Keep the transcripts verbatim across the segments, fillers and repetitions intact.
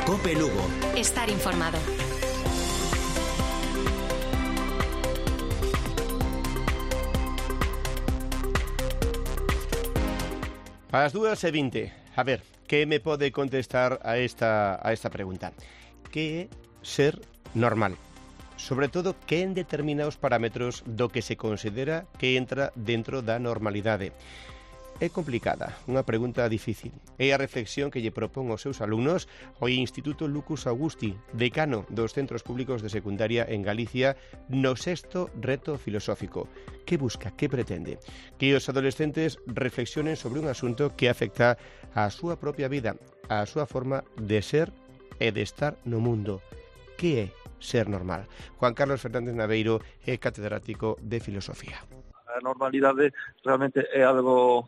COPE Lugo. Estar informado. A las dúas e vinte. A ver, que me pode contestar a esta, a esta pregunta? Que é ser normal? Sobre todo, que en determinados parámetros do que se considera que entra dentro da normalidade? É complicada, unha pregunta difícil. É a reflexión que lle propón aos seus alumnos o Instituto Lucus Augusti, decano dos centros públicos de secundaria en Galicia, no sexto reto filosófico. Que busca, que pretende? Que os adolescentes reflexionen sobre un asunto que afecta á súa propia vida, á súa forma de ser e de estar no mundo. Que é ser normal? Juan Carlos Fernández Naveiro é catedrático de Filosofía. A normalidade realmente é algo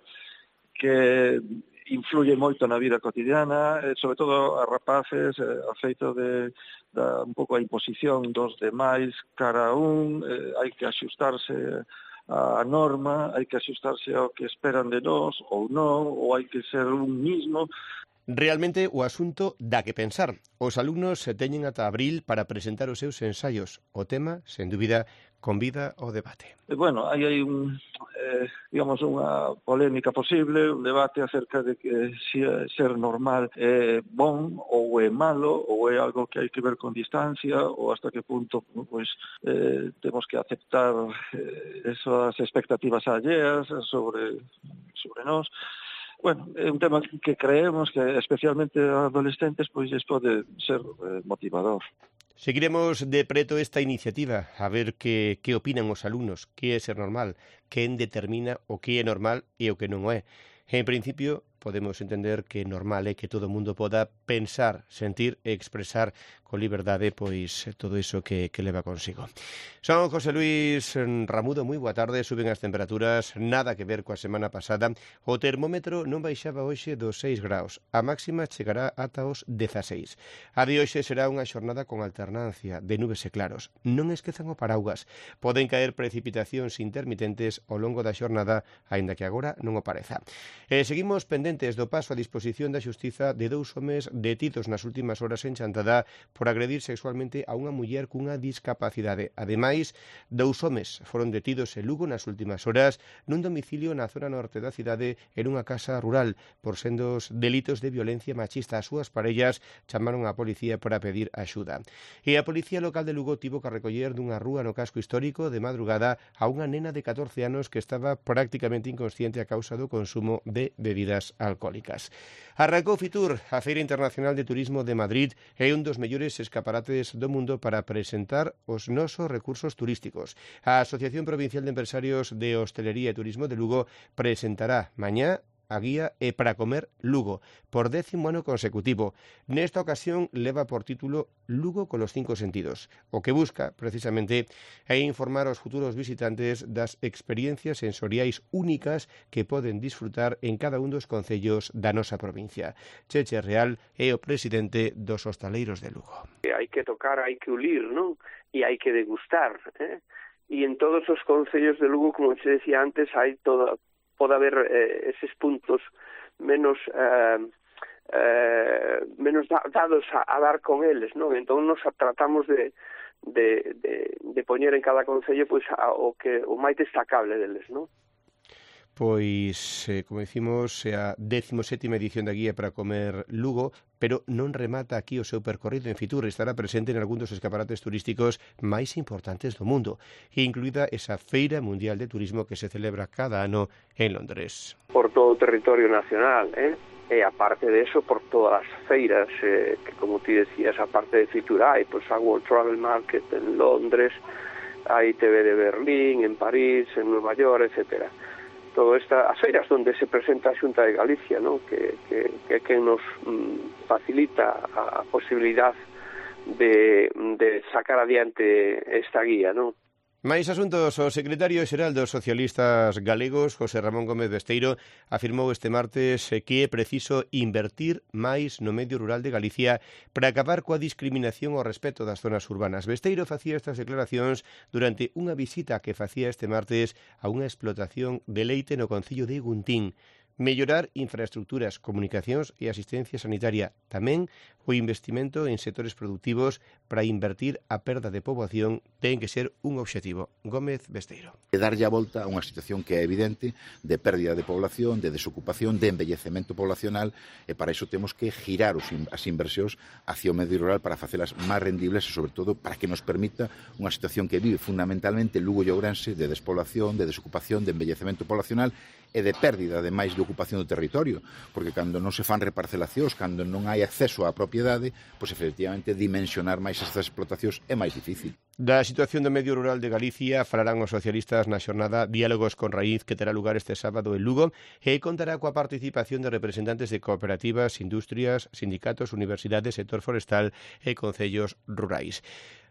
que influye moito na vida cotidiana, sobre todo a rapaces, a feito de da, un pouco a imposición dos demais cara a un, eh, hai que axustarse a norma, hai que axustarse ao que esperan de nós ou non, ou hai que ser un mismo. Realmente o asunto dá que pensar. Os alumnos se teñen ata abril para presentar os seus ensaios. O tema, sen dúbida, convida ao debate. Bueno, aí hai un, eh, digamos, unha polémica posible, un debate acerca de que si ser normal é bon ou é malo, ou é algo que hai que ver con distancia, ou hasta que punto pois, eh, temos que aceptar eh, esas expectativas alleas sobre, sobre nós. Bueno, é un tema que creemos que especialmente a adolescentes pois lles pode ser eh, motivador. Seguiremos de preto esta iniciativa, a ver que, que opinan os alumnos, que é ser normal, quen determina o que é normal e o que non o é. En principio, podemos entender que normal é que todo o mundo poda pensar, sentir e expresar con liberdade pois todo iso que, que leva consigo. Son José Luis Ramudo, moi boa tarde. Suben as temperaturas, nada que ver coa semana pasada. O termómetro non baixaba hoxe dos seis graus. A máxima chegará ata os dezaseis. A de hoxe será unha xornada con alternancia de nubes e claros. Non esquezan o paraugas. Poden caer precipitacións intermitentes ao longo da xornada, aínda que agora non o pareza. E seguimos pendentes do paso a disposición da xustiza de dous homes detidos nas últimas horas en Chantada por agredir sexualmente a unha muller cunha discapacidade. Ademais, dous homes foron detidos en Lugo nas últimas horas nun domicilio na zona norte da cidade e nunha casa rural por sendos delitos de violencia machista. As súas parellas chamaron á policía para pedir axuda. E a Policía Local de Lugo tivo que recoller dunha rúa no casco histórico de madrugada a unha nena de catorce anos que estaba prácticamente inconsciente a causa do consumo de bebidas alcohólicas. Arrancou Fitur, a Feira Internacional de Turismo de Madrid, é un dos mellores escaparates do mundo para presentar os nosos recursos turísticos. A Asociación Provincial de Empresarios de Hostelería e Turismo de Lugo presentará mañá a guía E para comer Lugo, por décimo ano consecutivo. Nesta ocasión leva por título Lugo con los cinco sentidos. O que busca, precisamente, é informar aos futuros visitantes das experiencias sensoriais únicas que poden disfrutar en cada un dos concellos da nosa provincia. Cheche Real é o presidente dos hostaleiros de Lugo. Hai que tocar, hai que ulir, non? E hai que degustar, eh? E en todos os concellos de Lugo, como se decía antes, hai toda pode haber eh, eses puntos menos eh, eh, menos da, dados a, a dar con eles, non? Entón nos tratamos de, de, de, de poñer en cada concello pois, a, o que o máis destacable deles, non? Pois, eh, como decimos, é a décimo sétima edición da Guía para comer Lugo, pero non remata aquí o seu percorrido en Fitur. Estará presente en algún dos escaparates turísticos máis importantes do mundo, incluída esa Feira Mundial de Turismo que se celebra cada ano en Londres. Por todo o territorio nacional, eh? E aparte de eso, por todas as feiras, eh, que como ti decías, aparte de Fitur hai, pois a World Travel Market en Londres, hai T V de Berlín, en París, en Nueva York, etcétera. Todo esta, as feiras onde se presenta a Xunta de Galicia, ¿no? que, que, que, que nos mm, facilita a posibilidad de, de sacar adiante esta guía, ¿no? Máis asuntos. O secretario xeral dos socialistas galegos, José Ramón Gómez Besteiro, afirmou este martes que é preciso invertir máis no medio rural de Galicia para acabar coa discriminación ao respecto das zonas urbanas. Besteiro facía estas declaracións durante unha visita que facía este martes a unha explotación de leite no concello de Guntín. mellorar infraestructuras, comunicacións e asistencia sanitaria. Tamén o investimento en sectores productivos para invertir a perda de poboación ten que ser un obxectivo. Gómez Besteiro. E darlle a volta a unha situación que é evidente de pérdida de población, de desocupación, de envellecemento poblacional, e para iso temos que girar os, as inversións hacia o medio rural para facelas máis rendibles e, sobre todo, para que nos permita unha situación que vive fundamentalmente Lugo e Ourense de despoblación, de desocupación, de envellecemento poblacional e de pérdida de máis de ocupación do territorio, porque cando non se fan reparcelacións, cando non hai acceso á propiedade, pois efectivamente dimensionar máis estas explotacións é máis difícil. Da situación do medio rural de Galicia falarán os socialistas na xornada Diálogos con Raíz que terá lugar este sábado en Lugo e contará coa participación de representantes de cooperativas, industrias, sindicatos, universidades, sector forestal e concellos rurais.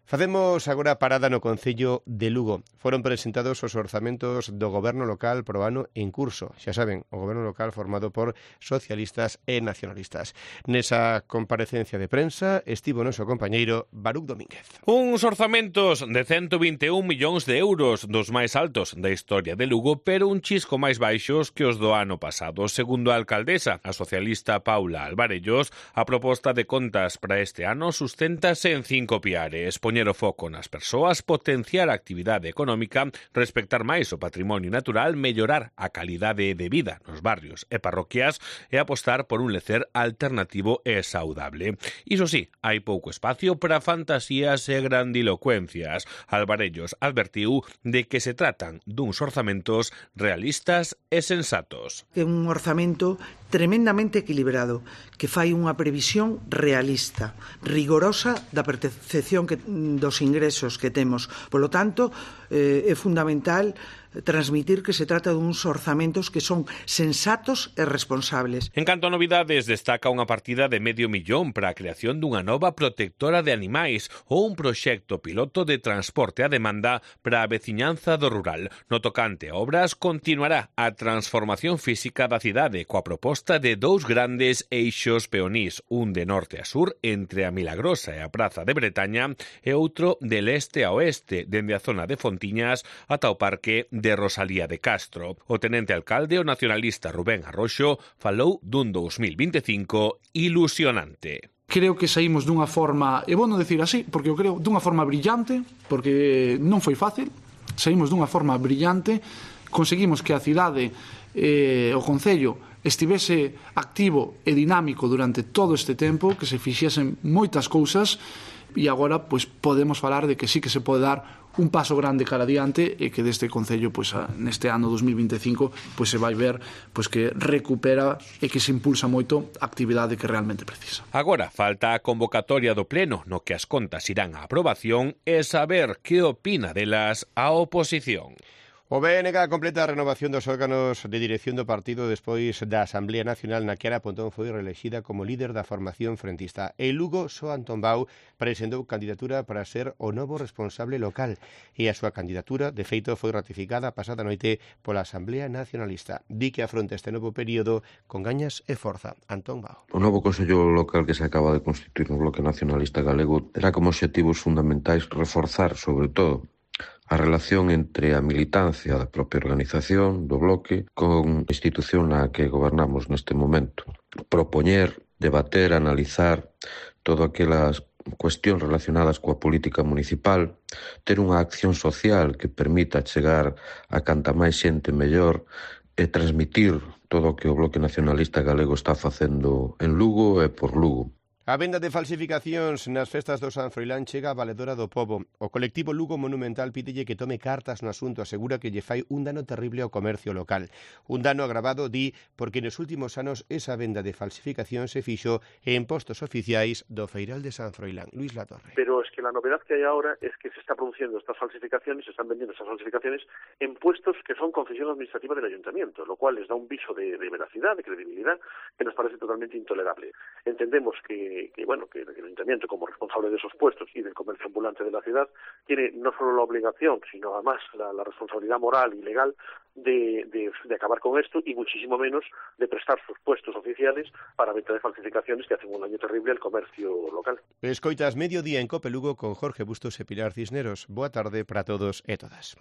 Facemos agora parada no Concello de Lugo. Foron presentados os orzamentos do Goberno local pro ano en curso. Xa saben, o Goberno local formado por socialistas e nacionalistas. Nesa comparecencia de prensa estivo o noso compañeiro Baruch Domínguez. Uns orzamentos de ciento vinte e un millóns de euros, dos máis altos da historia de Lugo, pero un chisco máis baixos que os do ano pasado. Segundo a alcaldesa, a socialista Paula Alvarellos, a proposta de contas para este ano susténtase en cinco piares: poñer o foco nas persoas, potenciar a actividade económica, respectar máis o patrimonio natural, mellorar a calidade de vida nos barrios e parroquias e apostar por un lecer alternativo e saudable. Iso sí, hai pouco espacio para fantasías e grandilocuencias. Alvarellos advertiu de que se tratan duns orzamentos realistas e sensatos. É un orzamento tremendamente equilibrado, que fai unha previsión realista, rigorosa da percepción que, dos ingresos que temos. Polo tanto, eh, é fundamental transmitir que se trata duns orzamentos que son sensatos e responsables. En canto a novidades, destaca unha partida de medio millón para a creación dunha nova protectora de animais ou un proxecto piloto de transporte a demanda para a veciñanza do rural. No tocante a obras, continuará a transformación física da cidade coa proposta de dous grandes eixos peonís, un de norte a sur entre a Milagrosa e a Praza de Bretaña e outro de leste a oeste, dende a zona de Fontiñas ata o parque de de Rosalía de Castro. O tenente alcalde, o nacionalista Rubén Arroxo, falou dun dos mil vinte e cinco ilusionante. Creo que saímos dunha forma, e vou non decir así, porque eu creo dunha forma brillante, porque non foi fácil, saímos dunha forma brillante, conseguimos que a cidade, eh, o concello, estivese activo e dinámico durante todo este tempo, que se fixesen moitas cousas, e agora pois podemos falar de que sí que se pode dar un paso grande cara adiante e que deste concello pois neste ano dos mil vinte e cinco pois se vai ver pois que recupera e que se impulsa moito a actividade que realmente precisa. Agora falta a convocatoria do pleno no que as contas irán a aprobación e saber que opina delas a oposición. O B N G completa a renovación dos órganos de dirección do partido despois da Asamblea Nacional na que Ana Pontón foi reelexida como líder da formación frentista. E Lugo, só Antón Bau, presentou candidatura para ser o novo responsable local e a súa candidatura, de feito, foi ratificada a pasada noite pola Asamblea Nacionalista. Di que afronta este novo período con gañas e forza. Antón Bau. O novo Consello Local que se acaba de constituir no Bloque Nacionalista Galego terá como obxectivos fundamentais reforzar, sobre todo, a relación entre a militancia da propia organización do bloque con a institución na que gobernamos neste momento. Propoñer, debater, analizar todo aquelas cuestións relacionadas coa política municipal, ter unha acción social que permita chegar a canta máis xente mellor e transmitir todo o que o Bloque Nacionalista Galego está facendo en Lugo e por Lugo. A venda de falsificacións nas festas do San Froilán chega a Valedora do Pobo. O colectivo Lugo Monumental pídelle que tome cartas no asunto, asegura que lle fai un dano terrible ao comercio local. Un dano agravado, di, porque nos últimos anos esa venda de falsificacións se fixo en postos oficiais do Feiral de San Froilán. Luis Latorre. Pero es que la novedad que hay ahora es que se está produciendo estas falsificaciones, se están vendiendo estas falsificaciones en puestos que son concesión administrativa del ayuntamiento, lo cual les da un viso de, de veracidad, de credibilidad, que nos parece totalmente intolerable. Entendemos que Que, bueno, que el ayuntamiento, como responsable de esos puestos y del comercio ambulante de la ciudad, tiene no solo la obligación, sino además la, la responsabilidad moral y legal de, de, de acabar con esto y muchísimo menos de prestar sus puestos oficiales para venta de falsificaciones que hacen un daño terrible al comercio local. Escoitas Mediodía en Cope Lugo con Jorge Bustos e Pilar Cisneros. Boa tarde para todos e todas.